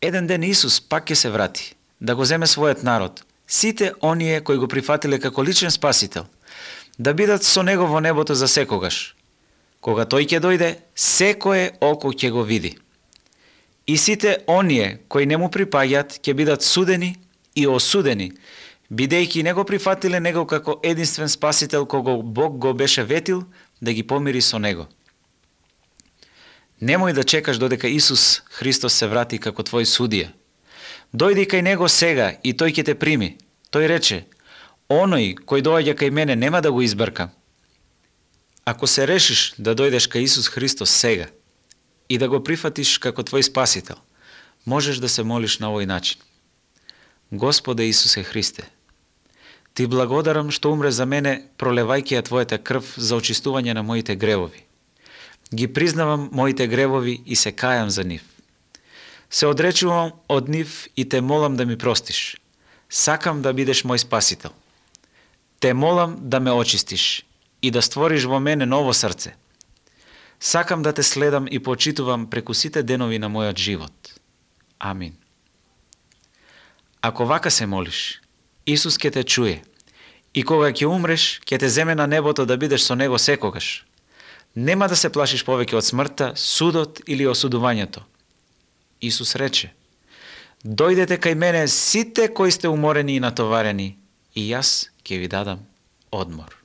Еден ден Исус пак ќе се врати, да го земе својот народ, сите оние кои го прифатиле како личен спасител, да бидат со него во небото за секогаш. Кога тој ќе дојде, секое око ќе го види. И сите оние кои не му припаѓаат ќе бидат судени и осудени, бидејќи не го прифатиле него како единствен спасител кого Бог го беше ветил да ги помири со него. Немој да чекаш додека Исус Христос се врати како твој судија. Дојди кај него сега и тој ќе те прими. Тој рече: оној кој доаѓа кај мене нема да го избркам. Ако се решиш да дојдеш кај Исус Христос сега и да го прифатиш како твој спасител, можеш да се молиш на овој начин. Господе Исусе Христе, Ти благодарам што умре за мене пролевајќи ја Твојата крв за очистување на моите гревови. Ги признавам моите гревови и се кајам за нив. Се одречувам од нив и те молам да ми простиш. Сакам да бидеш мој спасител. Те молам да ме очистиш и да створиш во мене ново срце. Сакам да те следам и почитувам преку сите денови на мојот живот. Амин. Ако вака се молиш, Исус ќе те чуе и кога ќе умреш, ќе те земе на небото да бидеш со него секогаш. Нема да се плашиш повеќе од смртта, судот или осудувањето. Исус рече: дојдете кај мене сите кои сте уморени и натоварени, и јас ќе ви дадам одмор.